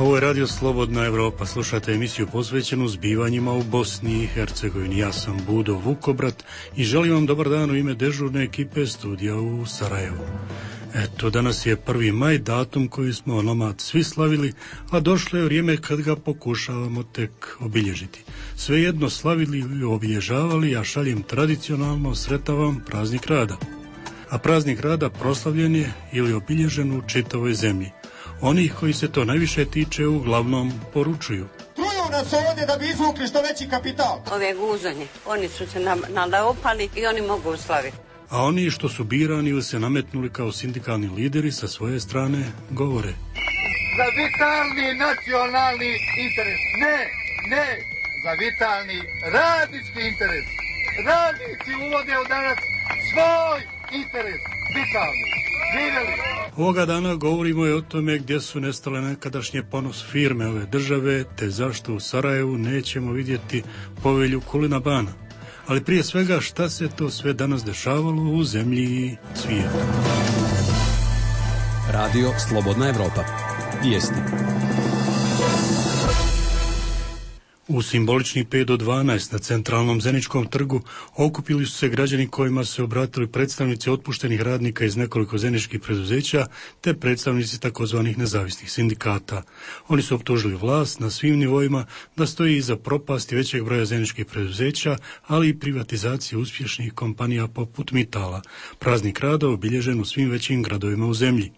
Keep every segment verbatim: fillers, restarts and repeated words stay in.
Ovo je Radio Slobodna Evropa. Slušate emisiju posvećenu zbivanjima u Bosni i Hercegovini. Ja sam Budo Vukobrat i želim vam dobar dan u ime dežurne ekipe studija u Sarajevu. Eto, danas je prvi maj, datum koji smo onomad svi slavili, a došlo je vrijeme kad ga pokušavamo tek obilježiti. Svejedno slavili ili obilježavali, ja šaljem tradicionalno sretan vam praznik rada. A praznik rada proslavljen je ili obilježen u čitavoj zemlji. Oni koji se to najviše tiče uglavnom poručuju. Truju nas ovdje da bi izvukli što veći kapital. Ove guzanje, oni su se nalaopali i oni mogu slaviti. A oni što su birani ili se nametnuli kao sindikalni lideri sa svoje strane govore. Za vitalni nacionalni interes. Ne, ne, za vitalni radnički interes. Radnici uvode u danas svoj interes, vitalni. Ovoga dana govorimo i o tome gdje su nestale nekadašnje ponos firme ove države, te zašto u Sarajevu nećemo vidjeti povelju Kulina Bana. Ali prije svega šta se to sve danas dešavalo u zemlji i svijetu. Radio Slobodna Evropa. Vijesti. U simbolični pet do dvanaest na centralnom Zeničkom trgu okupili su se građani kojima se obratili predstavnici otpuštenih radnika iz nekoliko zeničkih preduzeća te predstavnici takozvanih nezavisnih sindikata. Oni su optužili vlast na svim nivoima da stoji iza propasti većeg broja zeničkih preduzeća, ali i privatizacije uspješnih kompanija poput Mitala. Praznik rada obilježen u svim većim gradovima u zemlji.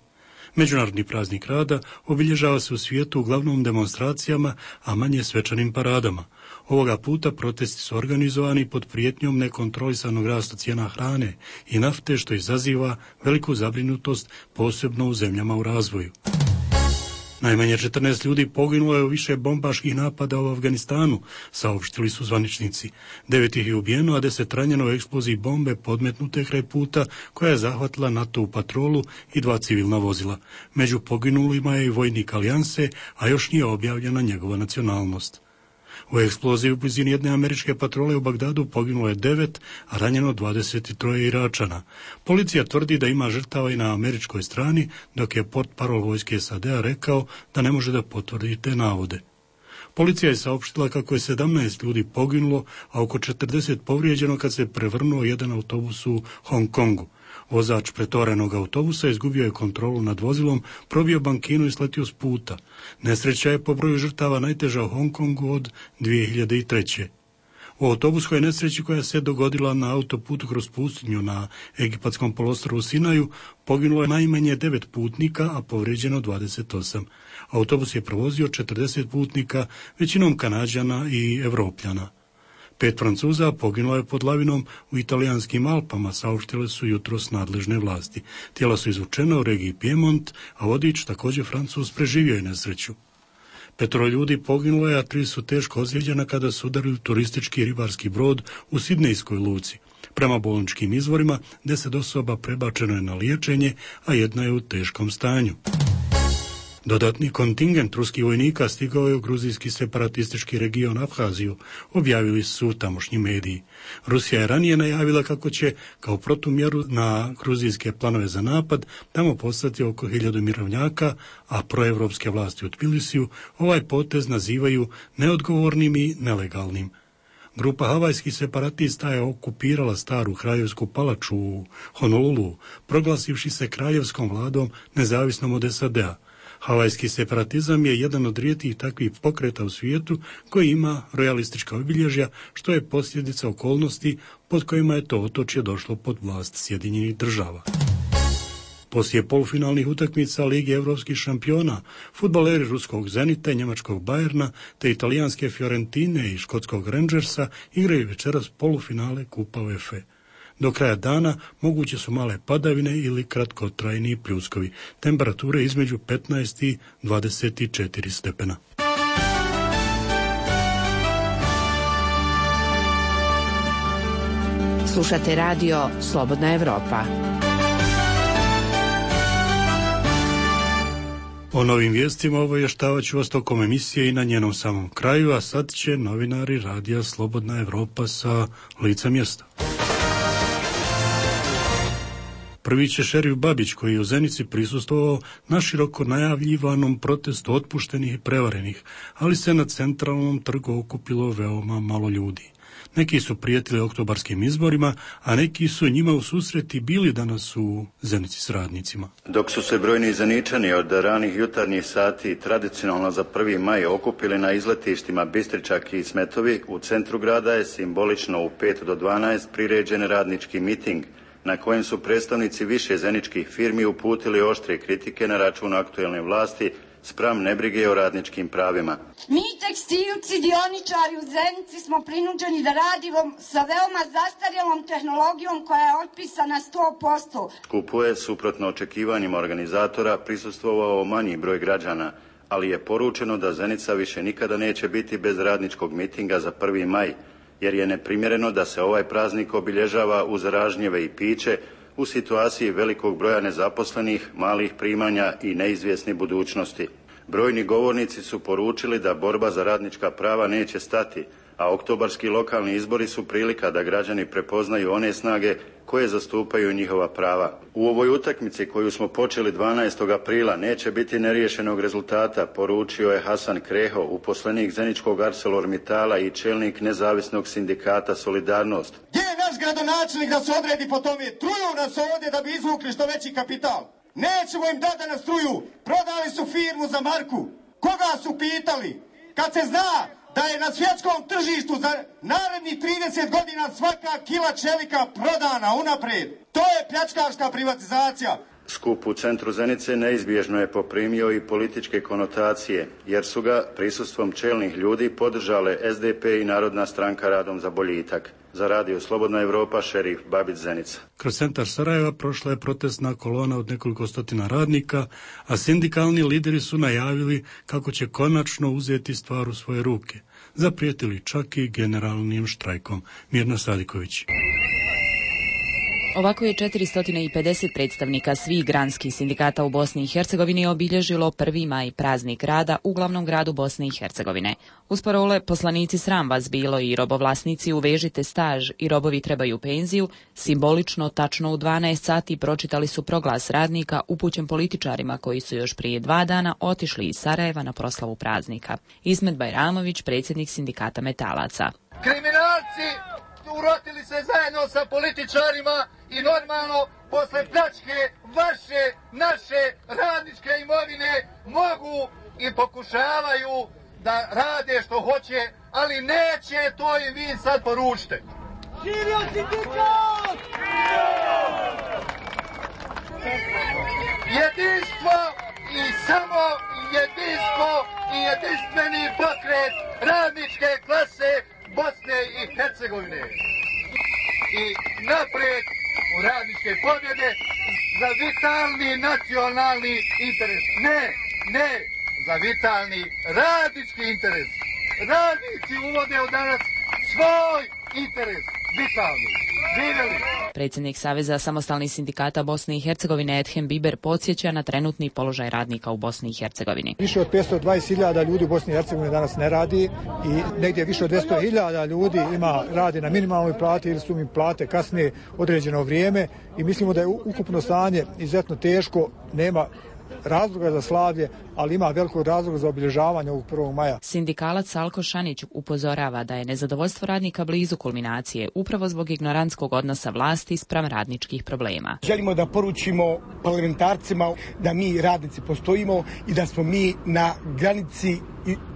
Međunarodni praznik rada obilježava se u svijetu uglavnom demonstracijama, a manje svečanim paradama. Ovoga puta protesti su organizovani pod prijetnjom nekontrolisanog rasta cijena hrane i nafte, što izaziva veliku zabrinutost, posebno u zemljama u razvoju. Najmanje četrnaest ljudi poginulo je u više bombaških napada u Afganistanu, saopštili su zvaničnici. Devet ih je ubijeno, a deset ranjeno u eksploziji bombe podmetnute kraj puta koja je zahvatila NATO u patrolu i dva civilna vozila. Među poginulima je i vojnik Alijanse, a još nije objavljena njegova nacionalnost. U eksploziji u blizini jedne američke patrole u Bagdadu poginulo je devet, a ranjeno dvadeset tri Iračana. Policija tvrdi da ima žrtava i na američkoj strani, dok je portparol vojske S A D-a rekao da ne može da potvrdi te navode. Policija je saopštila kako je sedamnaest ljudi poginulo, a oko četrdeset povrijeđeno kad se prevrnuo jedan autobus u Hong Kongu. Vozač pretovarenog autobusa izgubio je kontrolu nad vozilom, probio bankinu i sletio s puta. Nesreća je po broju žrtava najteža u Hong Kongu od dvije hiljade treće. U autobuskoj nesreći koja se dogodila na autoputu kroz pustinju na egipatskom poluostrvu Sinaju poginulo je najmanje devet putnika, a povrijeđeno dvadeset osam. Autobus je provozio četrdeset putnika, većinom Kanađana i Evropljana. Pet Francuza poginulo je pod lavinom u italijanskim Alpama, saopštile su jutros nadležne vlasti. Tijela su izvučena u regiji Piemont, a vodič, također Francuz, preživio je nesreću. Petoro ljudi poginulo je, a tri su teško ozlijeđena kada su udarili turistički ribarski brod u Sidnejskoj luci. Prema bolničkim izvorima, deset osoba prebačeno je na liječenje, a jedna je u teškom stanju. Dodatni kontingent ruskih vojnika stigao je u gruzijski separatistički region Abhaziju, objavili su tamošnji mediji. Rusija je ranije najavila kako će, kao protumjeru na gruzijske planove za napad, tamo poslati oko hiljadu mirovnjaka, a proevropske vlasti u Tbilisiju ovaj potez nazivaju neodgovornim i nelegalnim. Grupa havajskih separatista je okupirala staru kraljevsku palaču u Honolulu, proglasivši se kraljevskom vladom nezavisnom od S A D-a. Havajski separatizam je jedan od rijetkih takvih pokreta u svijetu koji ima realistička obilježja, što je posljedica okolnosti pod kojima je to otočje došlo pod vlast Sjedinjenih država. Poslije polufinalnih utakmica Lige evropskih šampiona, fudbaleri ruskog Zenita i njemačkog Bayerna te italijanske Fiorentine i škotskog Rangersa igraju večeras polufinale Kupa UEFA. Do kraja dana moguće su male padavine ili kratkotrajni pljuskovi. Temperature između petnaest i dvadeset četiri stepena. Slušate radio Slobodna Evropa. O novim vijestima obavještavat ću vas tokom emisije i na njenom samom kraju, a sad će novinari radija Slobodna Evropa sa lica mjesta. Prvi će šerif Babić, koji je u Zenici prisustvovao naširoko najavljivanom protestu otpuštenih i prevarenih, ali se na centralnom trgu okupilo veoma malo ljudi. Neki su prijetili oktobarskim izborima, a neki su njima u susreti bili danas u Zenici s radnicima. Dok su se brojni Zeničani od ranih jutarnjih sati tradicionalno za prvi maj okupili na izletištima Bistričak i Smetovi, u centru grada je simbolično u pet do dvanaest priređen radnički miting, na kojem su predstavnici više zeničkih firmi uputili oštre kritike na račun aktuelne vlasti spram nebrige o radničkim pravima. Mi tekstilci, dioničari u Zenici smo prinuđeni da radimo sa veoma zastarjelom tehnologijom koja je otpisana sto posto. Skupu je, suprotno očekivanjima organizatora, prisustvovao manji broj građana, ali je poručeno da Zenica više nikada neće biti bez radničkog mitinga za prvi maj, jer je neprimjereno da se ovaj praznik obilježava uz ražnjeve i piće, u situaciji velikog broja nezaposlenih, malih primanja i neizvjesne budućnosti. Brojni govornici su poručili da borba za radnička prava neće stati, a oktobarski lokalni izbori su prilika da građani prepoznaju one snage koje zastupaju njihova prava. U ovoj utakmici koju smo počeli dvanaestog aprila neće biti neriješenog rezultata, poručio je Hasan Kreho, uposlenik Zeničkog ArcelorMittala i čelnik nezavisnog sindikata Solidarnost. Gdje je naš gradonačelnik da se odredi po tome? Truju nas ovdje da bi izvukli što veći kapital. Nećemo im dati da nas truju. Prodali su firmu za marku. Koga su pitali? Kad se zna da je na svjetskom tržištu za narednih trideset godina svaka kila čelika prodana unaprijed. To je pljačkaška privatizacija. Skup u centru Zenice neizbježno je poprimio i političke konotacije, jer su ga prisustvom čelnih ljudi podržale S D P i Narodna stranka Radom za boljitak. Za Radio Slobodna Evropa, šerif Babić, Zenica. Kroz centar Sarajeva prošla je protestna kolona od nekoliko stotina radnika, a sindikalni lideri su najavili kako će konačno uzeti stvar u svoje ruke. Zaprijetili čak i generalnim štrajkom. Mirna Sadiković. Ovako je četiristo pedeset predstavnika svih granskih sindikata u Bosni i Hercegovini obilježilo prvi maj, praznik rada u glavnom gradu Bosne i Hercegovine. Uz parole poslanici sram vas bilo i robovlasnici uvežite staž i robovi trebaju penziju, simbolično tačno u dvanaest sati pročitali su proglas radnika upućen političarima koji su još prije dva dana otišli iz Sarajeva na proslavu praznika. Ismet Bajramović, predsjednik sindikata metalaca. Kriminalci urotili se zajedno sa političarima i normalno posle pljačke vaše, naše radničke imovine mogu i pokušavaju da rade što hoće, ali neće, to im vi sad poručite. Živio sindikat! Jedinstvo i samo jedinstvo i jedinstveni pokret radničke klase Bosne i Hercegovine. I naprijed u radničke pobjede za vitalni nacionalni interes. Ne, ne, za vitalni radnički interes. Radnici uvode u danas svoj interes, vitalni. Živjeli! Predsjednik Saveza samostalnih sindikata Bosne i Hercegovine Edhem Biber podsjeća na trenutni položaj radnika u Bosni i Hercegovini. Više od petsto dvadeset hiljada ljudi u Bosni i Hercegovini danas ne radi i negdje više od dvjesto hiljada ljudi ima radi na minimalnoj plati ili su im plate kasnije određeno vrijeme i mislimo da je ukupno stanje izuzetno teško, nema razloga za slavlje, ali ima velikog razloga za obilježavanje ovog prvog maja. Sindikalac Salko Šanić upozorava da je nezadovoljstvo radnika blizu kulminacije upravo zbog ignorantskog odnosa vlasti spram radničkih problema. Želimo da poručimo parlamentarcima da mi radnici postojimo i da smo mi na granici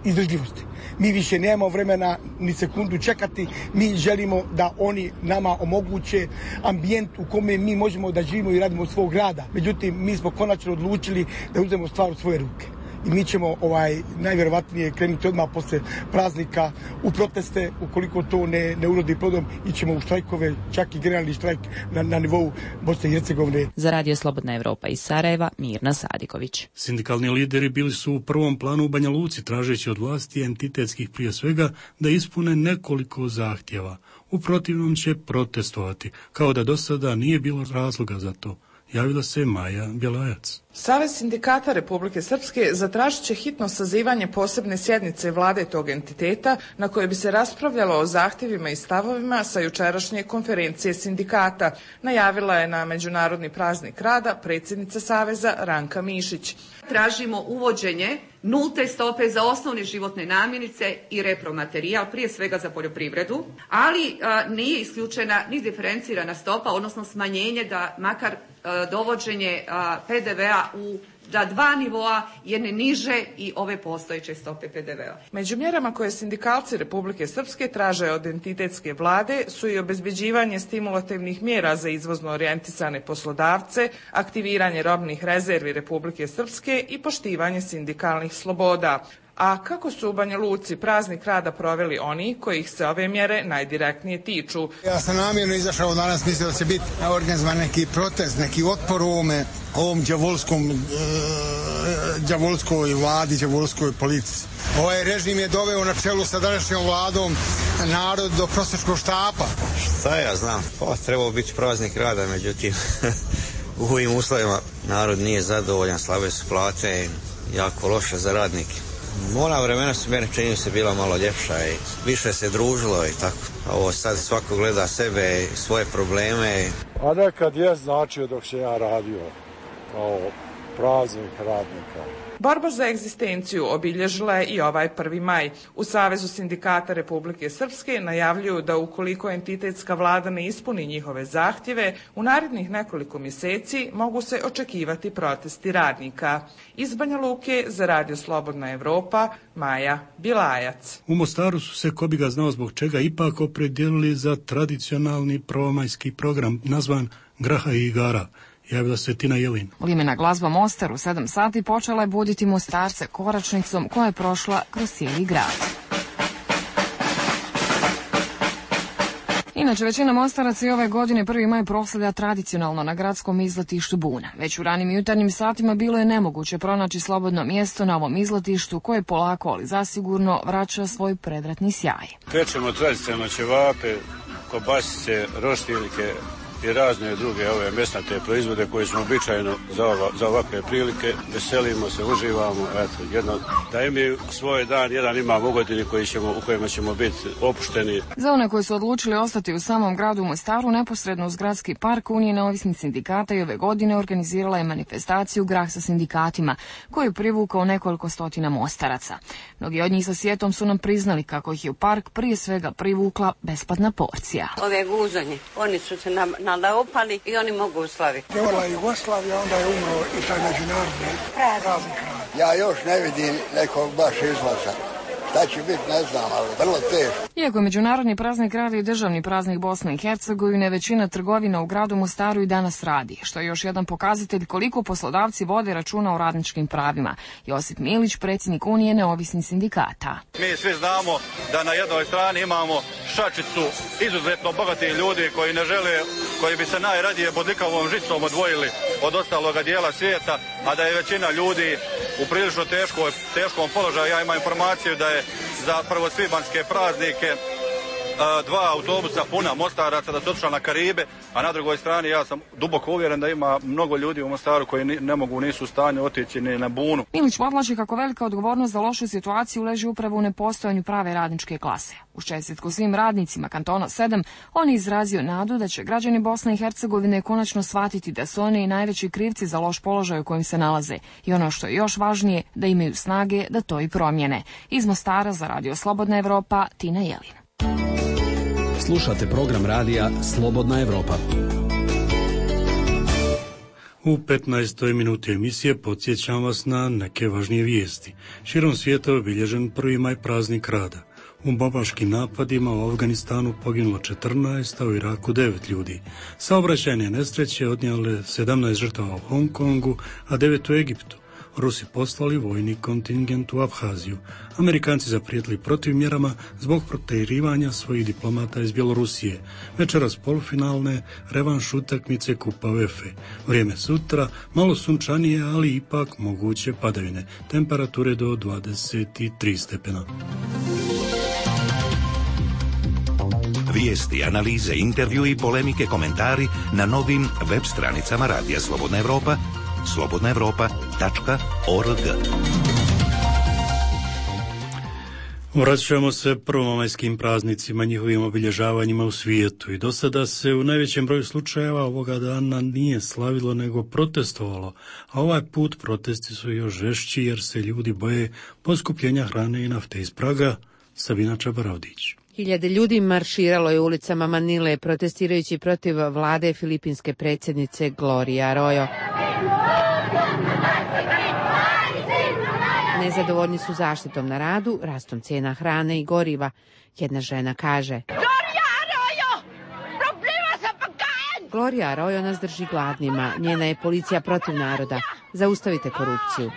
izdržljivosti. Mi više nemamo vremena ni sekundu čekati, mi želimo da oni nama omoguće ambijent u kome mi možemo da živimo i radimo od svog rada. Međutim, mi smo konačno odlučili da uzmemo stvar u svoje ruke. I mi ćemo ovaj najvjerovatnije krenuti odmah posle praznika u proteste, ukoliko to ne, ne urodi plodom, ićemo u štrajkove, čak i generalni štrajk na, na nivou Bosne i Hercegovine. Za Radio Slobodna Evropa iz Sarajeva, Mirna Sadiković. Sindikalni lideri bili su u prvom planu u Banja Luci, tražeći od vlasti entitetskih prije svega da ispune nekoliko zahtjeva. U protivnom će protestovati, kao da do sada nije bilo razloga za to. javila se Maja Bjelajac. Savez sindikata Republike Srpske zatražit će hitno sazivanje posebne sjednice vlade tog entiteta na kojoj bi se raspravljalo o zahtjevima i stavovima sa jučerašnje konferencije sindikata, najavila je na Međunarodni praznik rada predsjednica Saveza Ranka Mišić. Tražimo uvođenje nulte stope za osnovne životne namirnice i repromaterijal, prije svega za poljoprivredu, ali a, nije isključena ni diferencirana stopa, odnosno smanjenje da makar a, dovođenje a, pe de vea u da dva nivoa jedne niže i ove postojeće stope pe de vea. Među mjerama koje sindikalci Republike Srpske traže od entitetske vlade su i obezbeđivanje stimulativnih mjera za izvozno orijentisane poslodavce, aktiviranje robnih rezervi Republike Srpske i poštivanje sindikalnih sloboda. A kako su u Banja Luci praznik rada proveli oni kojih se ove mjere najdirektnije tiču? Ja sam namjerno izašao danas, mislio da će biti organizovan neki protest, neki otpor ovome, ovom đavolskom, e, đavolskoj vladi, đavolskoj politici. Ovaj režim je doveo na čelu sa današnjom vladom narod do prosječkog štapa. Šta ja znam, pa trebao biti praznik rada, međutim u ovim uslovima narod nije zadovoljan, slabe su plate, jako loše za radnike. Ona vremena su meni čini se bila malo ljepša i više se družilo i tako. A ovo sad svako gleda sebe i svoje probleme. A nekad je značio dok se ja radio kao praznik radnika. Borba za egzistenciju obilježila je i ovaj prvi maj. U Savezu sindikata Republike Srpske najavljuju da ukoliko entitetska vlada ne ispuni njihove zahtjeve, u narednih nekoliko mjeseci mogu se očekivati protesti radnika. Iz Banja Luke za Radio Slobodna Evropa, Maja Bjelajac. U Mostaru su se, ko bi ga znao zbog čega, ipak opredijelili za tradicionalni prvomajski program nazvan Graha i igara. Javila se Tina Jelin. Limena glazba Mostar u sedam sati počela je buditi Mostarce koračnicom koja je prošla kroz cijeli grad. Inače, većina Mostaraca i ove godine prvi maj proslavlja tradicionalno na gradskom izletištu Buna. Već u ranim jutarnjim satima bilo je nemoguće pronaći slobodno mjesto na ovom izletištu koje polako, ali zasigurno, vraća svoj predratni sjaj. Pečemo tradicionalno ćevape, kobasice, roštiljke i razne druge ove mesnate proizvode koje smo običajno za, ova, za ovakve prilike. Veselimo se, uživamo, eto, jedno, da imaju svoj dan, jedan imamo u godini koji ćemo, u kojima ćemo biti opušteni. Za one koji su odlučili ostati u samom gradu Mostaru, neposredno uz gradski park, Unije neovisnih sindikata i ove godine organizirala je manifestaciju Grah sa sindikatima, koju je privukao nekoliko stotina Mostaraca. Mnogi od njih sa sjetom su nam priznali kako ih je u park prije svega privukla besplatna porcija. Ove guzanje, oni su se na, na opali i oni mogu slaviti. Prevala Jugoslavija, onda je umro i taj međunarodni praznik. Ja još ne vidim nekog baš izlaza. Šta će biti, ne znam, ali vrlo teško. Iako je međunarodni praznik rada i državni praznik Bosne i Hercegovine, većina trgovina u gradu Mostaru i danas radi, što je još jedan pokazatelj koliko poslodavci vode računa o radničkim pravima. Josip Milić, predsjednik Unije neovisnih sindikata. Mi svi znamo da na jednoj strani imamo šačicu izuzetno bogati ljudi koji ne žele, koji bi se najradije bodljikavom žicom odvojili od ostaloga dijela svijeta, a da je većina ljudi u prilično teškoj, teškom položaju. Ja imam informaciju da je za prvosvibanjske praznike dva autobusa puna Mostaraca da su otišla na Karibe, a na drugoj strani ja sam duboko uvjeren da ima mnogo ljudi u Mostaru koji ne mogu, nisu u stanju otići ni na bunu. Milić podvlači kako velika odgovornost za lošu situaciju leži upravo u nepostojanju prave radničke klase. Uz čestitku svim radnicima kantona sedam, on je izrazio nadu da će građani Bosne i Hercegovine konačno shvatiti da su oni najveći krivci za loš položaj u kojem se nalaze i ono što je još važnije, da imaju snage da to i promijene. Iz Mostara za Radio Slobodna Evropa, Tina Jelin. Slušate program radija Slobodna Evropa. U petnaestoj minuti emisije podsjećam vas na neke važnije vijesti. Širom svijeta je obilježen prvi maj praznik rada. U bombaškim napadima u Afganistanu poginulo četrnaest, a u Iraku devet ljudi. Saobraćajne nesreće odnijele sedamnaest žrtava u Hong Kongu, a devet u Egiptu. Rusi poslali vojni kontingent u Abhaziju. Amerikanci zaprijetili protivmjerama zbog protjerivanja svojih diplomata iz Bjelorusije. Večeras polufinalne revanš utakmice Kupa UEFA. Vrijeme sutra malo sunčanije, ali ipak moguće padavine. Temperature do dvadeset tri stepena. Vijesti, analize, intervju i polemike, komentari na novim web stranicama Radija Slobodna Evropa, slobodna evropa tačka org. Vraćamo se prvomajskim praznicima, njihovim obilježavanjima u svijetu i do sada se u najvećem broju slučajeva ovoga dana nije slavilo nego protestovalo, a ovaj put protesti su još žešći jer se ljudi boje poskupljenja hrane i nafte. Iz Praga, Sabina Čabaravdić. Hiljade ljudi marširalo je ulicama Manile protestirajući protiv vlade filipinske predsjednice Gloria Arroyo. Nezadovoljni su zaštitom na radu, rastom cijena hrane i goriva. Jedna žena kaže: Gloria Arroyo nas drži gladnima, njena je policija protiv naroda. Zaustavite korupciju.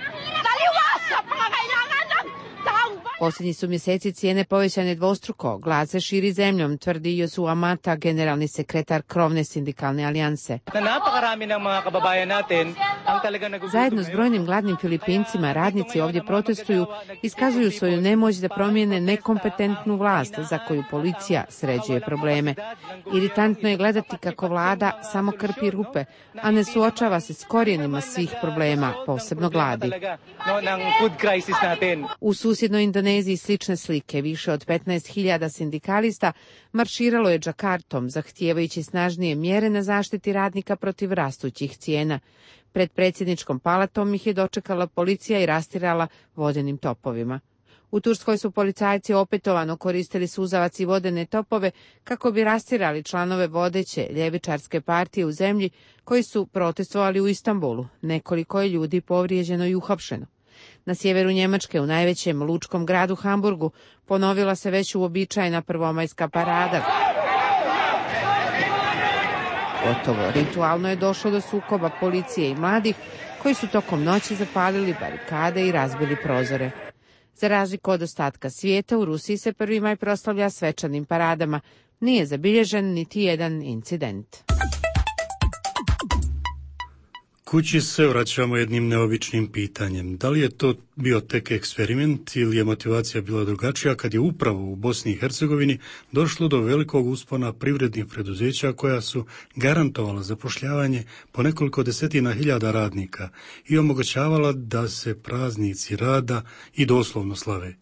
Posljednji su mjeseci cijene povećane dvostruko. Glad se širi zemljom, tvrdi Josu Amata, generalni sekretar krovne sindikalne alijanse. Zajedno s brojnim gladnim Filipincima, radnici ovdje protestuju, iskazuju svoju nemoć da promijene nekompetentnu vlast za koju policija sređuje probleme. Iritantno je gledati kako vlada samo krpi rupe, a ne suočava se s korijenima svih problema, posebno gladi. U susjednoj Indoneziji slične slike, više od petnaest hiljada sindikalista marširalo je Džakartom, zahtijevajući snažnije mjere na zaštiti radnika protiv rastućih cijena. Pred predsjedničkom palatom ih je dočekala policija i rastirala vodenim topovima. U Turskoj su policajci opetovano koristili suzavac i vodene topove kako bi rastirali članove vodeće ljevičarske partije u zemlji koji su protestovali u Istanbulu. Nekoliko je ljudi povrijeđeno i uhapšeno. Na sjeveru Njemačke, u najvećem lučkom gradu Hamburgu, ponovila se već uobičajena prvomajska parada. Gotovo ritualno je došlo do sukoba policije i mladih koji su tokom noći zapalili barikade i razbili prozore. Za razliku od ostatka svijeta, u Rusiji se prvi maj proslavlja svečanim paradama. Nije zabilježen niti jedan incident. Kući se vraćamo jednim neobičnim pitanjem. Da li je to bio tek eksperiment ili je motivacija bila drugačija kad je upravo u Bosni i Hercegovini došlo do velikog uspona privrednih preduzeća koja su garantovala zapošljavanje po nekoliko desetina hiljada radnika i omogućavala da se praznici rada i doslovno slave.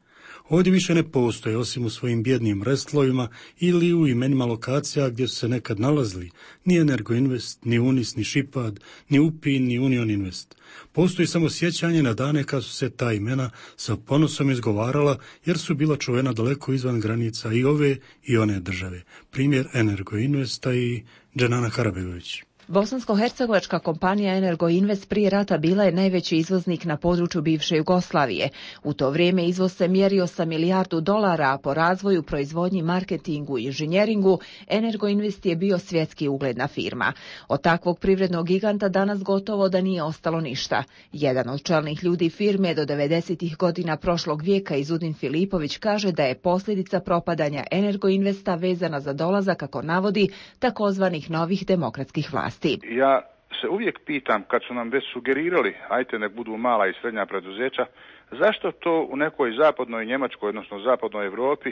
Ovdje više ne postoje, osim u svojim bjednim restlovima ili u imenima lokacija gdje su se nekad nalazili, ni Energoinvest, ni Unis, ni Šipad, ni Upin, ni Union Invest. Postoji samo sjećanje na dane kad su se ta imena sa ponosom izgovarala jer su bila čuvena daleko izvan granica i ove i one države. Primjer Energoinvesta i Dženana Harabegović. Bosansko-hercegovačka kompanija Energoinvest prije rata bila je najveći izvoznik na području bivše Jugoslavije. U to vrijeme izvoz se mjerio sa milijardu dolara, a po razvoju, proizvodnji, marketingu i inženjeringu Energoinvest je bio svjetski ugledna firma. Od takvog privrednog giganta danas gotovo da nije ostalo ništa. Jedan od čelnih ljudi firme do devedesetih godina prošlog vijeka, Izudin Filipović, kaže da je posljedica propadanja Energoinvesta vezana za dolazak, kako navodi, takozvanih novih demokratskih vlasti. Ja se uvijek pitam, kad su nam već sugerirali, ajte nek budu mala i srednja preduzeća, zašto to u nekoj zapadnoj Njemačkoj, odnosno zapadnoj Europi,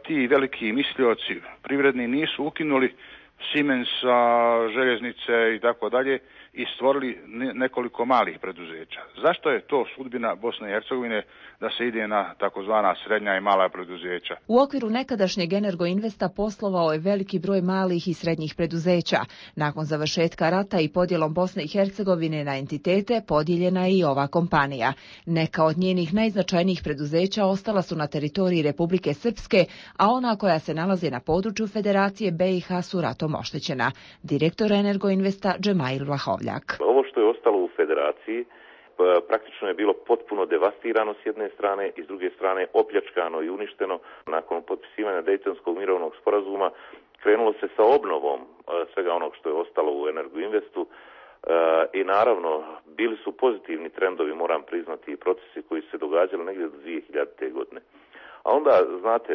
ti veliki mislioci privredni nisu ukinuli Siemensa, željeznice i tako dalje i stvorili nekoliko malih preduzeća. Zašto je to sudbina Bosne i Hercegovine da se ide na takozvana srednja i mala preduzeća? U okviru nekadašnjeg Energoinvesta poslovao je veliki broj malih i srednjih preduzeća. Nakon završetka rata i podjelom Bosne i Hercegovine na entitete podijeljena je i ova kompanija. Neka od njenih najznačajnijih preduzeća ostala su na teritoriji Republike Srpske, a ona koja se nalaze na području Federacije B i H su ratom oštećena. Direktor Energoinvesta Džemail Vlahovljak. Ovo što je ostalo u Federaciji praktično je bilo potpuno devastirano s jedne strane i s druge strane opljačkano i uništeno. Nakon potpisivanja Dejtonskog mirovnog sporazuma krenulo se sa obnovom svega onog što je ostalo u Energoinvestu i naravno bili su pozitivni trendovi, moram priznati, i procesi koji su se događali negdje do dvije hiljadite. godine. A onda, znate,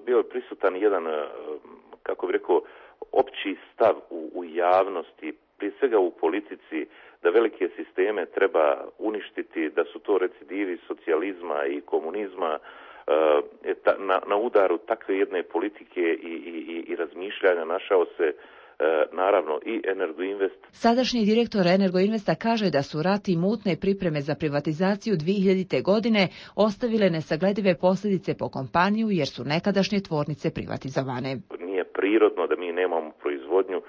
bio je prisutan jedan, kako bih rekao, opći stav u, u javnosti prije svega u politici, da velike sisteme treba uništiti, da su to recidivi socijalizma i komunizma, na, na udaru takve jedne politike i, i, i razmišljanja našao se naravno i Energoinvest. Sadašnji direktor Energoinvesta kaže da su rat i mutne pripreme za privatizaciju dvije hiljadite. godine ostavile nesagledive posljedice po kompaniju jer su nekadašnje tvornice privatizovane. Nije prirodno da mi nemamo proizvodnju,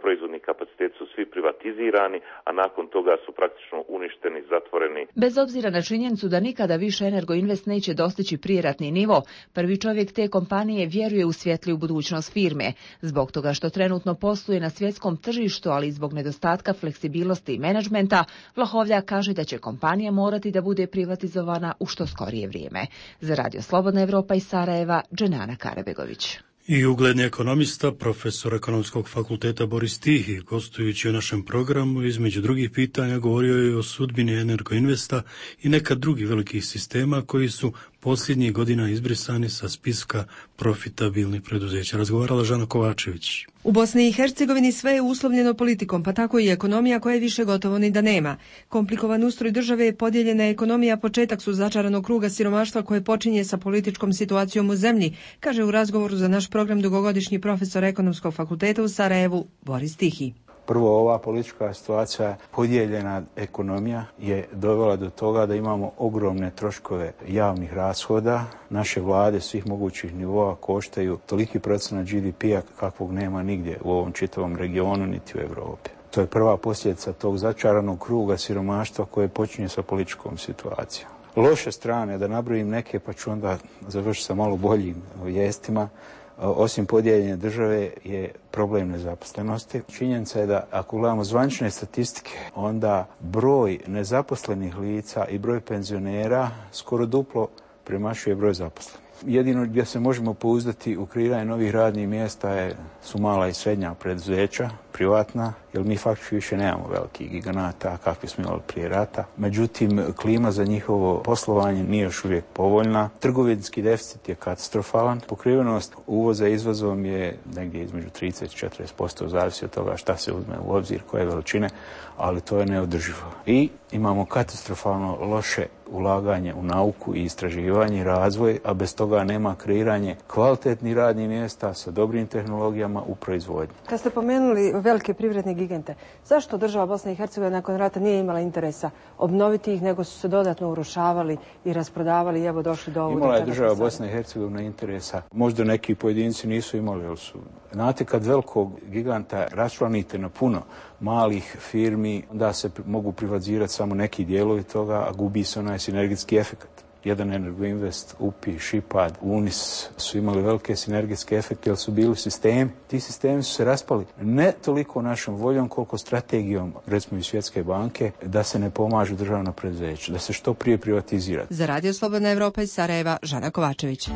proizvodni kapacitet su svi privatizirani, a nakon toga su praktično uništeni, zatvoreni. Bez obzira na činjenicu da nikada više Energoinvest neće dostići prijeratni nivo, prvi čovjek te kompanije vjeruje u svjetliju budućnost firme. Zbog toga što trenutno posluje na svjetskom tržištu, ali i zbog nedostatka fleksibilnosti i menadžmenta, Vlahovljak kaže da će kompanija morati da bude privatizovana u što skorije vrijeme. Za Radio Slobodna Evropa iz Sarajeva, Dženana Karabegović. I ugledni ekonomista, profesor Ekonomskog fakulteta Boris Tihi, gostujući u našem programu, između drugih pitanja govorio je o sudbini Energoinvesta i nekad drugih velikih sistema koji su posljednjih godina izbrisani sa spiska profitabilnih preduzeća. Razgovarala Žana Kovačević. U Bosni i Hercegovini sve je uslovljeno politikom, pa tako i ekonomija koje više gotovo ni da nema. Komplikovan ustroj države je podijeljena ekonomija, početak su začaranog kruga siromaštva koje počinje sa političkom situacijom u zemlji, kaže u razgovoru za naš program dugogodišnji profesor Ekonomskog fakulteta u Sarajevu Boris Tihi. Prvo, ova politička situacija, podijeljena ekonomija je dovela do toga da imamo ogromne troškove javnih rashoda. Naše vlade svih mogućih nivoa koštaju toliki procenat G D P-a kakvog nema nigdje u ovom čitavom regionu niti u Europi. To je prva posljedica tog začaranog kruga siromaštva koje počinje sa političkom situacijom. Loše strane, da nabrojim neke pa ću onda završiti sa malo boljim vijestima, osim podijeljenja države je problem nezaposlenosti. Činjenica je da ako gledamo zvanične statistike, onda broj nezaposlenih lica i broj penzionera skoro duplo premašuje broj zaposlenih. Jedino gdje se možemo pouzdati u kreiranje novih radnih mjesta je, su mala i srednja preduzeća, privatna, jer mi faktički više nemamo velikih giganata kakvi smo imali prije rata. Međutim, klima za njihovo poslovanje nije još uvijek povoljna. Trgovinski deficit je katastrofalan. Pokrivenost uvoza izvozom je negdje između trideset do četrdeset posto, zavisi od toga šta se uzme u obzir, koje veličine, ali to je neodrživo. I imamo katastrofalno loše ulaganje u nauku i istraživanje i razvoj, a bez toga nema kreiranje kvalitetnih radnih mjesta sa dobrim tehnologijama u proizvodnji. Kad ste pomenuli velike privredne gigante, zašto država Bosna i Hercegovina nakon rata nije imala interesa obnoviti ih, nego su se dodatno urušavali i rasprodavali i evo došli do ovog? Imala je država Bosna i Hercegovina interesa. Možda neki pojedinci nisu imali, ali su. Znate, kad velikog giganta raščlanite na puno malih firmi, onda se mogu privatizirati samo neki dijelovi toga, a gubi se onaj sinergijski efekt. Jedan Energoinvest, U P I, Šipad, Unis su imali velike sinergijske efekte jer su bili sistemi. Ti sistemi su se raspali ne toliko našom voljom koliko strategijom, recimo i Svjetske banke, da se ne pomažu državna preduzeća, da se što prije privatizira. Za Radio Slobodna Evropa iz Sarajeva, Žana Kovačević.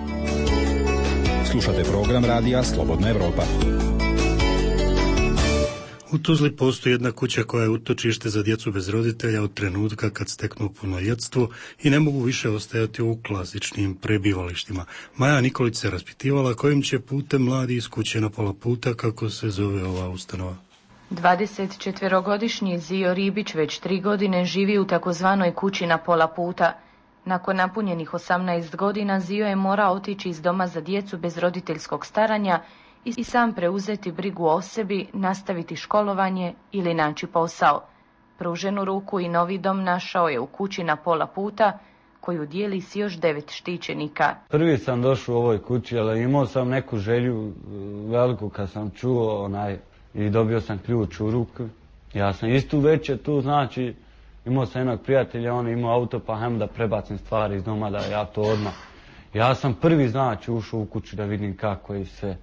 Slušate program Radija Slobodna Evropa. U Tuzli postoji jedna kuća koja je utočište za djecu bez roditelja od trenutka kad steknu punoljetstvo i ne mogu više ostajati u klasičnim prebivalištima. Maja Nikolić se raspitivala kojim će putem mladi iz kuće na pola puta, kako se zove ova ustanova. dvadesetčetverogodišnji Zio Ribić već tri godine živi u takozvanoj kući na pola puta. Nakon napunjenih osamnaest godina Zio je morao otići iz doma za djecu bez roditeljskog staranja i sam preuzeti brigu o sebi, nastaviti školovanje ili naći posao. Pruženu ruku i novi dom našao je u kući na pola puta, koju dijeli s još devet štićenika. Prvi sam došao u ovoj kući, ali imao sam neku želju veliku kad sam čuo onaj i dobio sam ključ u ruku. Ja sam istu večer tu, znači imao sam jednog prijatelja, on je imao auto, pa hajmo da prebacim stvari iz doma, da ja to odmah. Ja sam prvi, znači, ušao u kuću da vidim kako je sve.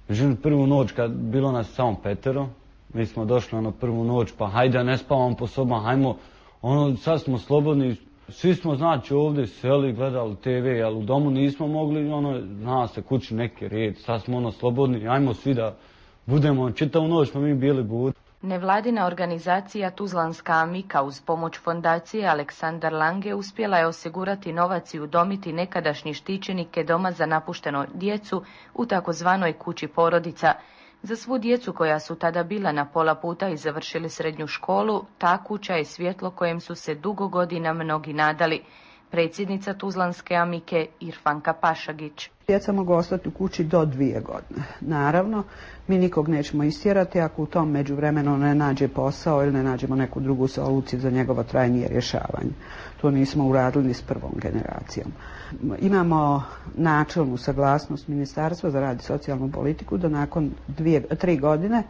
Međutim, prvu noć kad bilo nas samo petero, mi smo došli ono prvu noć, pa hajde ne spavamo po sobama, hajmo, ono sad smo slobodni, svi smo znači ovdje seli, gledali te ve, ali u domu nismo mogli, ono, zna se kući neki red, sad smo ono slobodni, hajmo svi da budemo, čitavu noć smo mi bili budi. Nevladina organizacija Tuzlanska Amika uz pomoć fondacije Aleksandar Lange uspjela je osigurati novac i udomiti nekadašnji štićenike doma za napušteno djecu u takozvanoj kući porodica. Za svu djecu koja su tada bila na pola puta i završili srednju školu, ta kuća je svjetlo kojem su se dugo godina mnogi nadali. Predsjednica Tuzlanske Amike Irfanka Pašagić. Djeca mogu ostati u kući do dvije godine. Naravno, mi nikog nećemo istjerati ako u tom međuvremenu ne nađe posao ili ne nađemo neku drugu soluciju za njegovo trajnije rješavanje. To nismo uradili ni s prvom generacijom. Imamo načelnu saglasnost Ministarstva za rad i socijalnu politiku da nakon dvije, tri godine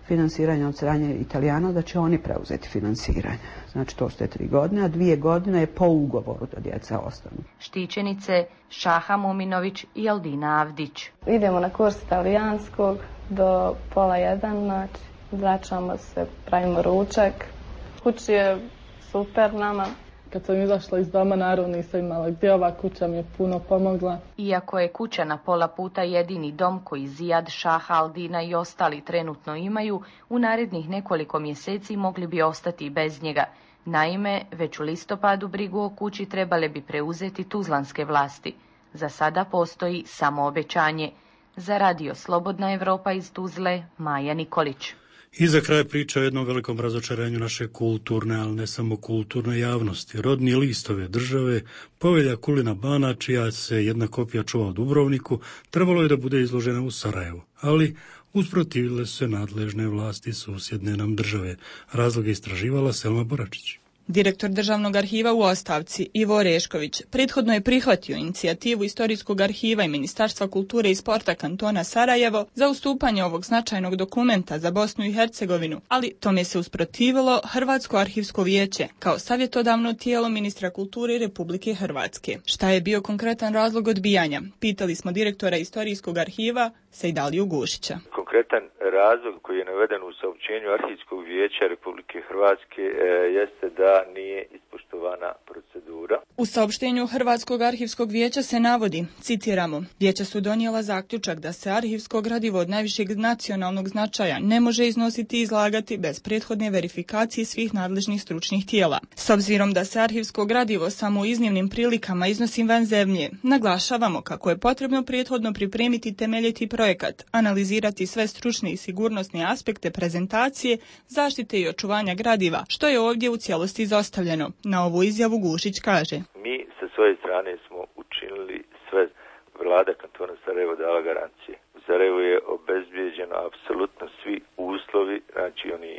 finansiranja od strane Italijana da će oni preuzeti finansiranje. Znači to su te tri godine, a dvije godine je po ugovoru da djeca ostanu. Štićenice Šaha Muminović i Aldina Avdić. Idemo na kurs italijanskog do pola jedan, znači vraćamo se, pravimo ručak. Kući je super nama. Kad sam izašla iz doma, naravno nisam imala gdje, ova kuća mi je puno pomogla. Iako je kuća na pola puta jedini dom koji Zijad, Šaha, Aldina i ostali trenutno imaju, u narednih nekoliko mjeseci mogli bi ostati bez njega. Naime, već u listopadu brigu o kući trebale bi preuzeti tuzlanske vlasti. Za sada postoji samo obećanje. Za radio Slobodna Evropa iz Tuzle, Maja Nikolić. I za kraj priča o jednom velikom razočaranju naše kulturne, ali ne samo kulturne javnosti. Rodni list ove države, povelja Kulina Bana, čija se jedna kopija čuva u Dubrovniku, trebalo je da bude izložena u Sarajevu, ali usprotivile se nadležne vlasti susjedne nam države. Razloge istraživala Selma Boračić. Direktor Državnog arhiva u ostavci, Ivo Orešković, prethodno je prihvatio inicijativu Istorijskog arhiva i Ministarstva kulture i sporta kantona Sarajevo za ustupanje ovog značajnog dokumenta za Bosnu i Hercegovinu, ali tome se usprotivilo Hrvatsko arhivsko vijeće kao savjetodavno tijelo ministra kulture Republike Hrvatske. Šta je bio konkretan razlog odbijanja? Pitali smo direktora Istorijskog arhiva Sejdaliju Gušića. Konkretan razlog koji je naveden u saopćenju Arhivskog vijeća Republike Hrvatske e, jeste da nije ispoštovana procedura. U saopštenju Hrvatskog arhivskog vijeća se navodi, citiramo, vijeća su donijela zaključak da se arhivsko gradivo od najvišeg nacionalnog značaja ne može iznositi i izlagati bez prethodne verifikacije svih nadležnih stručnih tijela. S obzirom da se arhivsko gradivo samo u iznimnim prilikama iznosi van zemlje, naglašavamo kako je potrebno prethodno pripremiti temeljiti projekat, analizirati sve stručne i sigurnosne aspekte prezentacije, zaštite i očuvanja gradiva, što je ovdje u cijelosti izostavljeno. Na ovu izjavu Gušić kaže: Mi sa svoje strane smo učinili sve. Vlada kantona Sarajevo dala garancije. U Sarajevu je obezbijeđeno apsolutno svi uslovi, znači oni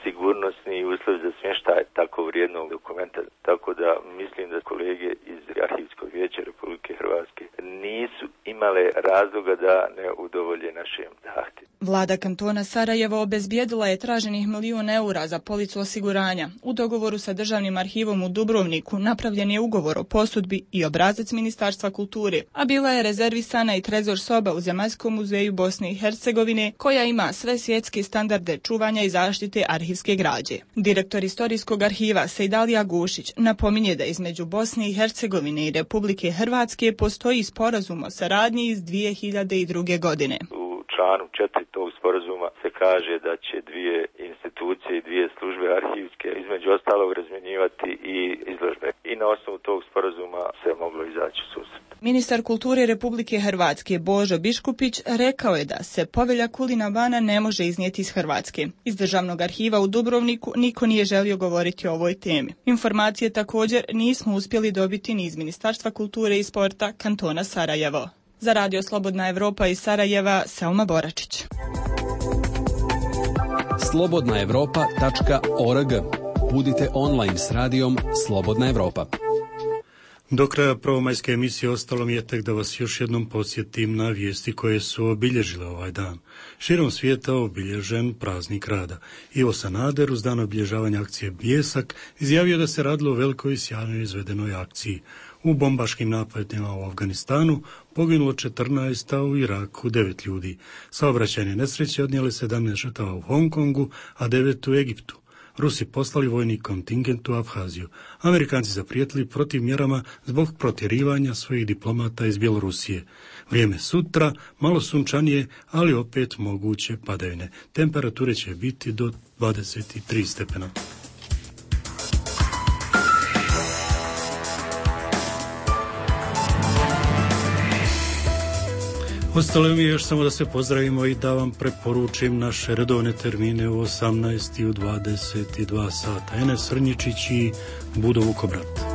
sigurnosni uslovi za smještaj tako vrijednog dokumenta. Tako da mislim da kolege iz Arhivskog vijeća Republike Hrvatske nisu imale razloga da ne udovolje našem zahtjevu. Vlada kantona Sarajevo obezbijedila je traženih milijun eura za policu osiguranja. U dogovoru sa Državnim arhivom u Dubrovniku napravljen je ugovor o posudbi i obrazac Ministarstva kulture, a bila je rezervisana i trezor soba u Zemaljskom muzeju Bosne i Hercegovine, koja ima sve svjetske standarde čuvanja i zaštite arhivske građe. Direktor Istorijskog arhiva Sejdalija Gušić napominje da između Bosne i Hercegovine i Republike Hrvatske postoji sporazum o saradnji iz dvije hiljade druge. godine. U članu četiri tog sporazuma se kaže da će dvije institucije i dvije službe arhivske između ostalog razmjenjivati i izložbe. I na osnovu tog sporazuma se moglo izaći u susret. Ministar kulture Republike Hrvatske Božo Biškupić rekao je da se povelja Kulina Bana ne može iznijeti iz Hrvatske. Iz Državnog arhiva u Dubrovniku niko nije želio govoriti o ovoj temi. Informacije također nismo uspjeli dobiti ni iz Ministarstva kulture i sporta kantona Sarajevo. Za radio Slobodna Evropa iz Sarajeva, Selma Boračić. slobodna evropa tačka org. Budite online s radijom Slobodna Evropa. Do kraja prvomajske emisije ostalo mi je tek da vas još jednom podsjetim na vijesti koje su obilježile ovaj dan. Širom svijeta obilježen praznik rada. Ivo Sanader uz dan obilježavanja akcije Bljesak izjavio da se radilo o velikoj i sjajno izvedenoj akciji. U bombaškim napadima u Afganistanu poginulo četrnaest, a u Iraku devet ljudi. Saobraćajne nesreće odnijele sedamnaest žrtava u Hong Kongu, a devet u Egiptu. Rusi poslali vojni kontingent u Abhaziju. Amerikanci zaprijetili protiv mjerama zbog protjerivanja svojih diplomata iz Bjelorusije. Vrijeme sutra, malo sunčanije, ali opet moguće padavine. Temperature će biti do dvadeset tri stepena. Ostalo mi je još samo da se pozdravimo i da vam preporučim naše redovne termine u osamnaest i u dvadeset dva sata. Enes Srnjičić i Budo Vukobrat.